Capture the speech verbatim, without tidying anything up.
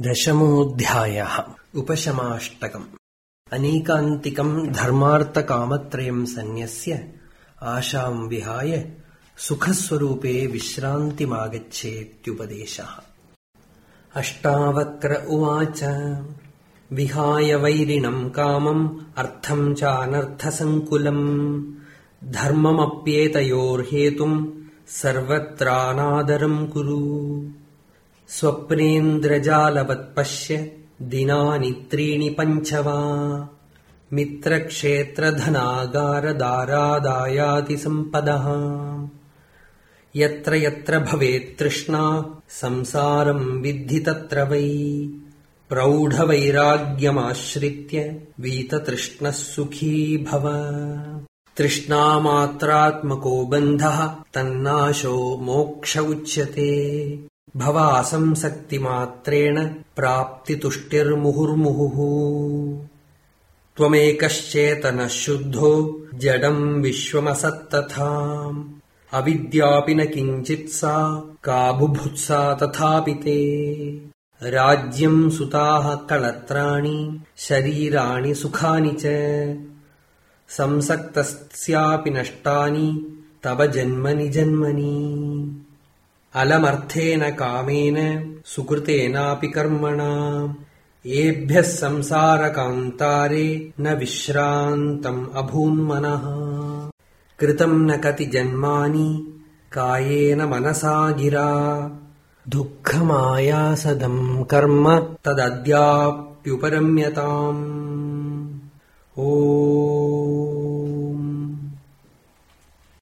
दशमोऽध्यायः। उपशमाष्टकम्। अनेकान्तिकम् धर्मार्थकामत्रयम् सन्न्यस्य आशाम् विहाय सुखस्वरूपे विश्रान्तिमागच्छेत्युपदेशः। अष्टावक्र उवाच विहाय वैरिणम् कामम् अर्थम् चानर्थसङ्कुलम् धर्ममप्येतयोर्हेतुम् सर्वत्रानादरम् कुरु। स्वप्नेन्द्रजालवत्पश्य दिनानि त्रीणि पञ्च वा मित्रक्षेत्रधनागारदारादायाति सम्पदः। यत्र यत्र भवेत् तृष्णा संसारम् विद्धि तत्र वै प्रौढवैराग्यमाश्रित्य वीततृष्णः सुखी भव। तृष्णामात्रात्मको बन्धः तन्नाशो मोक्ष उच्यते। भवासंसक्तिमात्रेण प्राप्तितुष्टिर्मुहुर्मुहुः। त्वमेकश्चेतनः शुद्धो जडम् विश्वमसत्तथा अविद्यापि न किञ्चित् सा का बुभुत्सा तथापि ते। राज्यम् सुताः कळत्राणि शरीराणि सुखानि च संसक्तस्यापि नष्टानि तव जन्मनि जन्मनि। अलमर्थेन कामेन सुकृतेनापि कर्मणा एभ्यः संसारकान्तारे न विश्रान्तम् अभून्मनः। कृतम् न कति जन्मानि कायेन मनसा गिरा दुःखमायासदम् कर्म तदद्याप्युपरम्यताम्। ओ